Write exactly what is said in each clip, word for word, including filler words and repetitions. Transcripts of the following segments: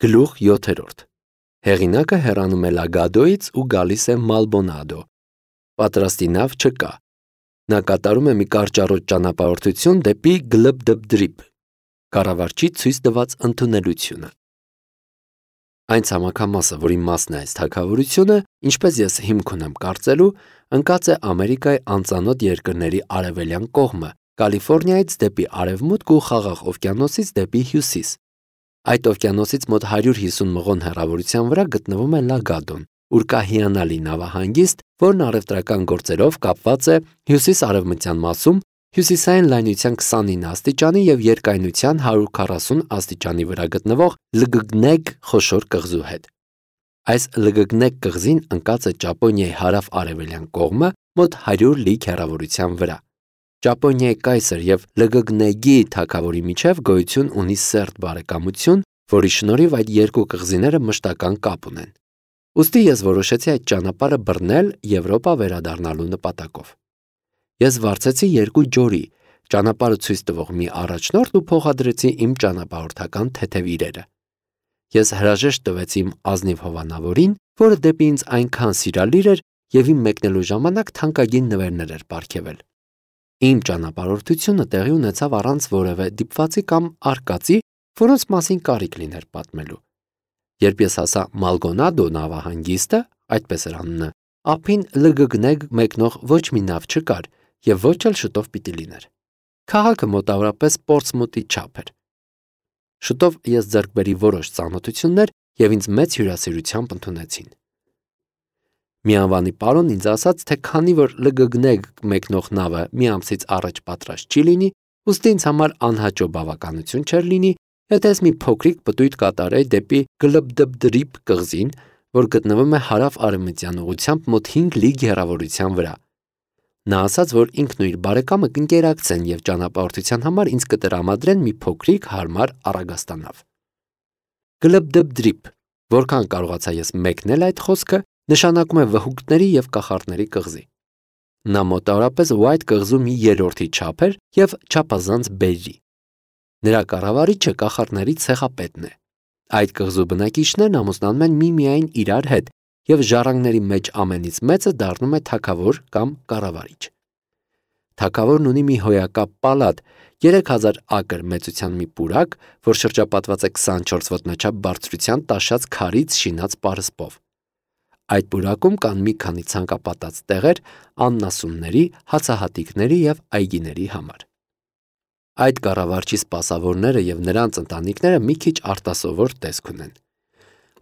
Գլուխ յոթերորդ Հեղինակը հեռանում է Լագադոյից ու գալիս է Մալբոնադո։ Պատրաստի նավ չկա։ Նա կատարում է մի կարճառոտ ճանապարհորդություն դեպի Գլբդբդրիփ, կառավարչի ցույց տված ընդունելությունը։ Այն ցամաքամասը, որի մասն է այս թագավորությունը, ինչպես ես հիմք ունեմ կարծելու, ընկած է Ամերիկայի անծանոթ երկրների արևելյան կողմը, Կալիֆոռնիայից դեպի արևմուտք ու Խաղաղ օվկիանոսից դեպի հյուսիս։ Այդ օվկիանոսից մոտ հարյուր հիսուն մղոն հեռավորության վրա գտնվում է Լագադոն, ուր կա հիանալի նավահանգիստ, որն առևտրական գործերով կապված է հյուսիս-արևմտյան մասում հյուսիսային լայնության քսանինը աստիճանի և երկայնության հարյուր քառասուն աստիճանի վրա գտնվող Լգգնեգ խոշոր կղզու հետ։ Այս Լգգնեգ կղզին ընկած է Ճապոնիայի հարավ-արևելյան կողմը մոտ հարյուր լիգ հեռավորության վրա։ Ճապոնիայի կայսր և Լգգնեգի թագավորի միջև գոյություն ունի սերտ բարեկամություն, որի շնորհիվ այդ երկու կղզիները մշտական կապ ունեն։ Ուստի ես որոշեցի այդ ճանապարհը բռնել Եվրոպա վերադառնալու նպատակով։ Ես վարձեցի երկու ջորի, ճանապարհը ցույց տվող մի առաջնորդ ու փոխադրեցի իմ ճանապարհորդական թեթև իրերը։ Ես հրաժեշտ տվեցի իմ ազնիվ հովանավորին, որը դեպի ինձ այնքան սիրալիր էր և իմ մեկնելու ժամանակ թանկագին նվերներ էր պարգևել։ Իմ ճանապարհորդությունը տեղի ունեցավ առանց որևէ դիպվածի կամ արկածի, որոնց մասին կարիք լիներ պատմելու։ Երբ ես հասա Մալբոնադո նավահանգիստը, այդպես էր անունը, ափին Լգգնեգ մեկնող ոչ մի նավ չկար և ոչ էլ շուտով պիտի լիներ։ Քաղաքը մոտավորապես Պորտսմութի չափ էր։ Շուտով ես ձեռք բերի որոշ ծանոթություններ և ինձ մեծ հյուրասիրությամբ ընդունեցին։ Մի անվանի պարոն ինձ ասաց, թե քանի որ Լգգնեգ մեկնող նավը մի ամսից առաջ պատրաստ չի լինի, ուստի ինձ համար անհաճո բավականություն չէր լինի, եթե ես մի փոքրիկ պտույտ կատարեի դեպի Գլբդբդրիփ կղզին, որ գտնվում է հարավ-արևմտյան ուղղությամբ մոտ հինգ լիգ հեռավորության վրա։ Նա ասաց, որ ինքն ու իր բարեկամը կընկերակցեն և ճանապարհորդության համար ինձ կտրամադրեն մի փոքրիկ հարմար առագաստանավ։ Գլբդբդրիփ, որքան կարողացա ես մեկնել այդ խոսքը, նշանակում է վհուկների և կախարդների կղզի։ Նա մոտավորապես Ուայթ կղզու մի երրորդի չափ էր և չափազանց բերրի։ Նրա կառավարիչը կախարդների ցեղապետն է։ Այդ կղզու բնակիչներն ամուսնանում են միմիայն իրար հետ, և ժառանգների մեջ ամենից մեծը դառնում է թագավոր կամ կառավարիչ։ Թագավորն ունի մի հոյակապ պալատ, երեք հազար ակր մեծության մի պուրակ, որ շրջապատված է քսանչորս ոտնաչափ բարձրության տաշած քարից շինած պարսպով։ Այդ պուրակում կան մի քանի ցանկապատած տեղեր աննասունների, հացահատիկների և այգիների համար։ Այդ կառավարչի սպասավորները և նրանց ընտանիքները մի քիչ արտասովոր տեսք ունեն։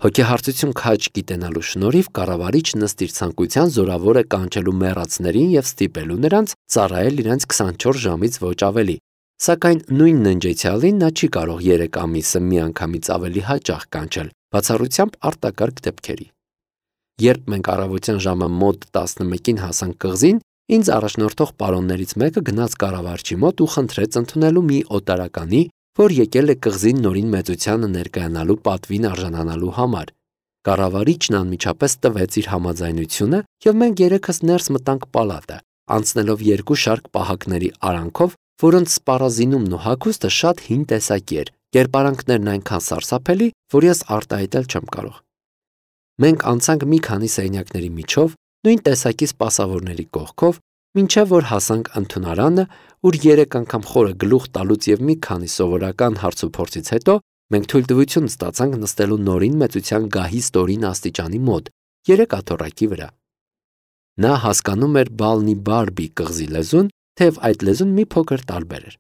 Հոգեհարցություն քաջ գիտենալու շնորհիվ կառավարիչն ըստ իր ցանկության զորավոր է կանչելու մեռածներին և ստիպելու նրանց ծառայել իրենց քսանչորս ժամից ոչ ավելի, սակայն նույն ննջեցյալին նա չի կարող երեք ամիսը միանգամից ավելի հաճախ կանչել, բացառությամբ արտակարգ դեպքերի։ Երբ մենք առավոտյան ժամը մոտ տասնմեկին հասանք կղզին, ինձ առաջնորդող պարոններից մեկը գնաց կառավարչի մոտ ու խնդրեց ընդունելու մի օտարականի, որ եկել է կղզին նորին մեծությանը ներկայանալու պատվին արժանանալու համար։ Կառավարիչն անմիջապես տվեց իր համաձայնությունը, և մենք երեքս ներս մտանք պալատը, անցնելով երկու շարք պահակների արանքով, որոնց սպառազինումն ու հագուստը շատ հին տեսակի էր, կերպարանքներն այնքան սարսափելի, որ ես արտահայտել չեմ կարող։ Մենք անցանք մի քանի սենյակների միջով, նույն տեսակի սպասավորների կողքով, մինչև որ հասանք ընդունարանը, ուր երեք անգամ խորը գլուխ տալուց և մի քանի սովորական հարցուփորձից հետո մենք թույլտվություն ստացանք նստելու նորին մեծության գահի ստորին աստիճանի մոտ, երեք աթոռակի վրա։ Նա հասկանում էր Բալնիբարբի կղզի լեզուն, թեև այդ լեզուն մի փոքր տարբեր էր։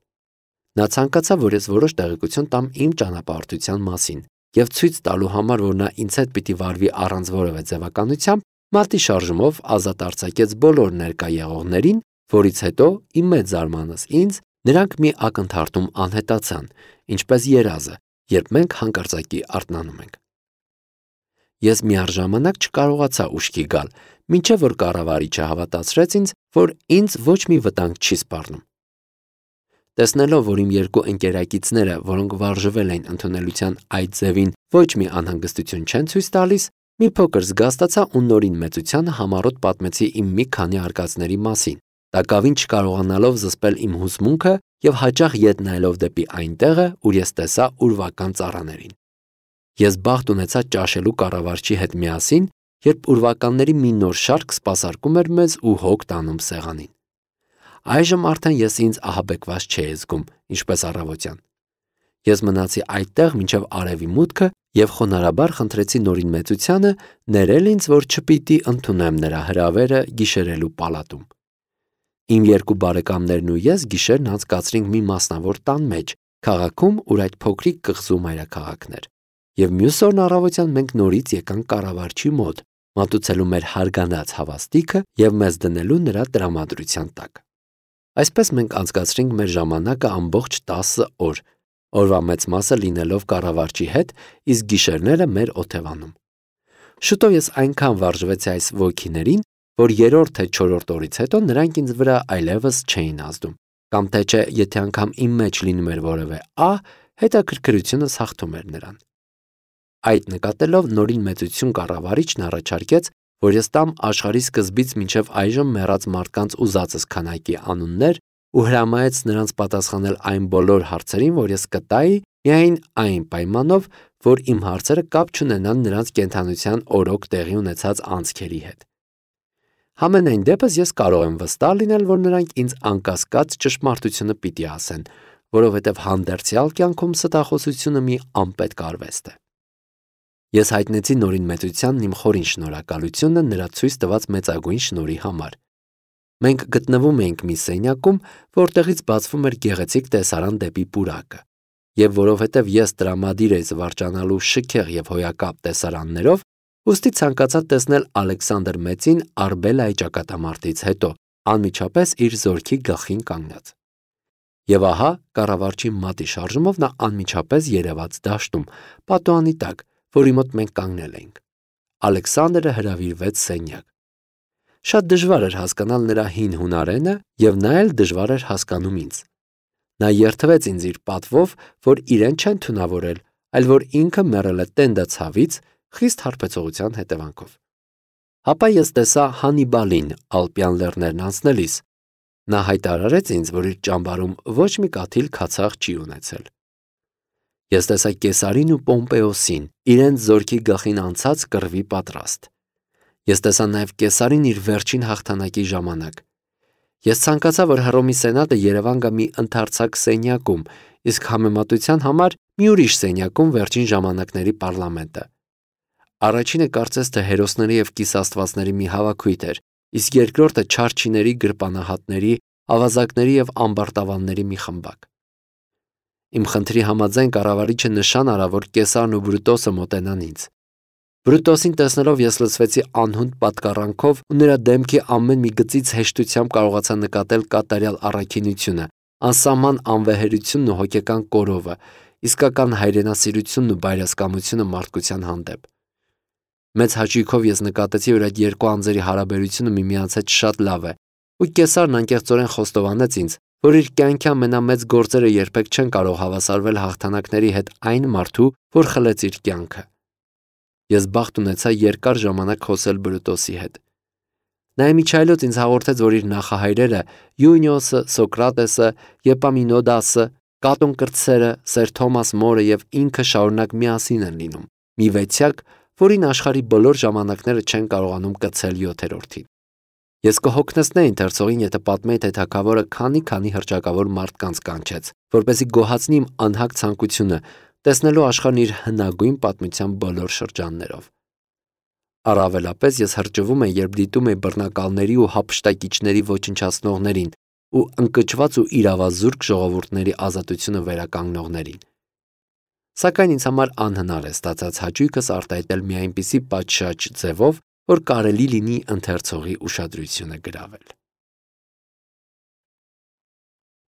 Նա ցանկացավ, որ ես որոշ տեղեկություն տամ իմ ճանապարհորդության մասին, և ցույց տալու համար, որ նա ինձ հետ պիտի վարվի առանց որևէ ձևականությամբ, մարտի շարժումով ազատ արձակեց բոլոր ներկա եղողներին, որից հետո, իմ մեծ զարմանքս ինձ, նրանք մի ակնթարթում անհետացան, ինչպես երազը, երբ մենք հանկարծակի արթնանում ենք։ Ես միառժամանակ չկարողացա ուշքի գալ, մինչև որ կառավարիչը հավատացրեց ինձ, որ ինձ ոչ մի վտանգ չի սպառնում։ Տեսնելով, որ իմ երկու ընկերակիցները, որոնք վարժվել էին ընդունելության այդ ձևին, ոչ մի անհանգստություն չեն ցույց տալիս, մի փոքր զգաստացա ու նորին մեծությանը համառոտ պատմեցի իմ մի քանի արկածների մասին, տակավին չկարողանալով զսպել իմ հուզմունքը և հաճախ ետ նայելով դեպի այն տեղը, ուր ես տեսա ուրվական ծառաներին։ Ես բախտ ունեցա ճաշելու կառավարչի հետ միասին, երբ ուրվականների մի նոր շարք սպասարկում էր մեզ ու հոգ տանում սեղանին։ Այժմ արդեն ես ինձ ահաբեկված չէի զգում, ինչպես առավոտյան։ Ես մնացի այդտեղ մինչև արևի մուտքը և խոնարհաբար խնդրեցի Նորին մեծությանը ներել ինձ, որ չպիտի ընդունեմ նրա հրավերը գիշերելու պալատում։ Իմ երկու բարեկամներն ու ես գիշերն անցկացրինք մի մասնավոր տան մեջ, քաղաքում, ուր այդ փոքրիկ կղզու մայրաքաղաքն էր, և մյուս օրն առավոտյան մենք նորից եկանք կառավարչի մոտ, մատուցելու մեր հարգանած հավաստիքը և մեզ դնելու նրա տրամադրության տակ։ Այսպես մենք անցկացրինք մեր ժամանակը ամբողջ տասը օր, օրվա մեծ մասը լինելով կառավարչի հետ, իսկ գիշերները մեր օթևանում։ Շուտով ես այնքան վարժվեցի այս ոգիներին, որ երրորդ թե չորրորդ օրից հետո նրանք ինձ վրա այլևս չէին ազդում, կամ թե չէ, եթե անգամ իմ մեջ լինում էր որևէ ահ, հետաքրքրությունս հաղթում էր նրան։ Այդ նկատելով Նորին մեծություն կառավարիչն առաջարկեց, որ ես տամ աշխարհի սկզբից մինչև այժմ մեռած մարդկանց ուզածս քանակի անուններ ու հրամայեց նրանց պատասխանել այն բոլոր հարցերին, որ ես կտայի, միայն այն պայմանով, որ իմ հարցերը կապ չունենան նրանց կենդանության օրոք տեղի ունեցած անցքերի հետ։ Համենայն դեպս ես կարող եմ վստահ լինել, որ նրանք ինձ անկասկած ճշմարտությունը պիտի ասեն, որովհետև հանդերձյալ կյանքում ստախոսությունը մի անպետք արվեստ է։ Ես հայտնեցի Նորին մեծությանն իմ խորին շնորհակալությունը նրա ցույց տված մեծագույն շնորհի համար։ Մենք գտնվում էինք մի սենյակում, որտեղից բացվում էր գեղեցիկ տեսարան դեպի պուրակը, և որովհետև ես տրամադիր էի զվարճանալու շքեղ և հոյակապ տեսարաններով, ուստի ցանկացա տեսնել Ալեքսանդր Մեծին Արբելայի ճակատամարտից հետո, անմիջապես իր զորքի գլխին կանգնած։ Եվ ահա, կառավարչի մատի շարժումով նա անմիջապես երևաց դաշտում, պատուհանի տակ, որի մոտ մենք կանգնել էինք։ Ալեքսանդրը հրավիրվեց սենյակ։ Շատ դժվար էր հասկանալ նրա հին հունարենը, և նա էլ դժվար էր հասկանում ինձ։ Նա երդվեց ինձ իր պատվով, որ իրեն չեն թունավորել, այլ որ ինքը մեռել է տենդը ցավից, խիստ հարբեցողության հետևանքով։ Հապա ես տեսա Հանիբալին Ալպյան լեռներն անցնելիս։ Նա հայտարարեց ինձ, որ իր ճամբարում ոչ մի կաթիլ քացախ չի ունեցել։ Ես տեսա Կեսարին ու Պոմպեոսին, իրենց զորքի գլխին անցած կռվի պատրաստ։ Ես տեսա նաև Կեսարին իր վերջին հաղթանակի ժամանակ։ Ես ցանկացա, որ Հռոմի սենատը Երևան գա մի ընդարձակ սենյակում, իսկ համեմատության համար մի ուրիշ սենյակում վերջին ժամանակների պարլամենտը։ Առաջինը կարծես թե հերոսների և կիսաստվածների մի հավաքույթ էր, իսկ երկրորդը չարչիների, գրպանահատների, ավազակների և ամբարտավանների մի խմբակ։ Իմ խնդրի համաձայն կառավարիչը նշան արավ, որ Կեսարն ու Բրուտոսը մոտենան ինձ։ Բրուտոսին տեսնելով ես լցվեցի անհունդ պատկառանքով ու նրա դեմքի ամեն մի գծից հեշտությամբ կարողացա նկատել կատարյալ առաքինությունը, անսահման անվեհերությունն ու հոգեկան կորովը, իսկական հայրենասիրությունն ու բայրասկամությունը մարդկության հանդեպ։ Մեծ հաճույքով ես նկատեցի, որ այդ երկու անձերի հարաբերությունը միմյանց հետ շատ լավ է, ու Կեսարն անկեղծորեն խոստովանեց ինձ, որ իր կյանքի ամենամեծ գործերը երբեք չեն կարող հավասարվել հաղթանակների հետ այն մարդու, որ խլեց իր կյանքը։ Ես բախտ ունեցա երկար ժամանակ խոսել Բրուտոսի հետ։ Նա իմիջայլոց ինձ հաղորդեց, որ իր նախահայրերը Յունիոսը, Սոկրատեսը, Եպամինոդասը, Կատոն Կրտսերը, Սեր Թոմաս Մորը և ինքը շարունակ միասին են լինում, մի վեցյակ, որին աշխարհի բոլոր ժամանակները չեն կարողանում կցել յոթերորդին։ Ես կհոգնեցնեի ընթերցողին, եթե պատմեի, թե թագավորը քանի-քանի հռչակավոր մարդկանց կանչեց, որպեսզի գոհացնի իմ անհագ ցանկությունը տեսնելու աշխարհն իր հնագույն պատմության բոլոր շրջաններով։ Առավելապես ես հրճվում էի, երբ դիտում էի բռնակալների ու հափշտակիչների ոչնչացնողներին ու ընկճված ու իրավազուրկ ժողովուրդների ազատությունը վերականգնողներին։ Սակայն ինձ համար անհնար է ստացած հաճույքս արտահայտել մի այնպիսի պատշաճ ձևով, որ կարելի լինի ընթերցողի ուշադրությունը գրավել։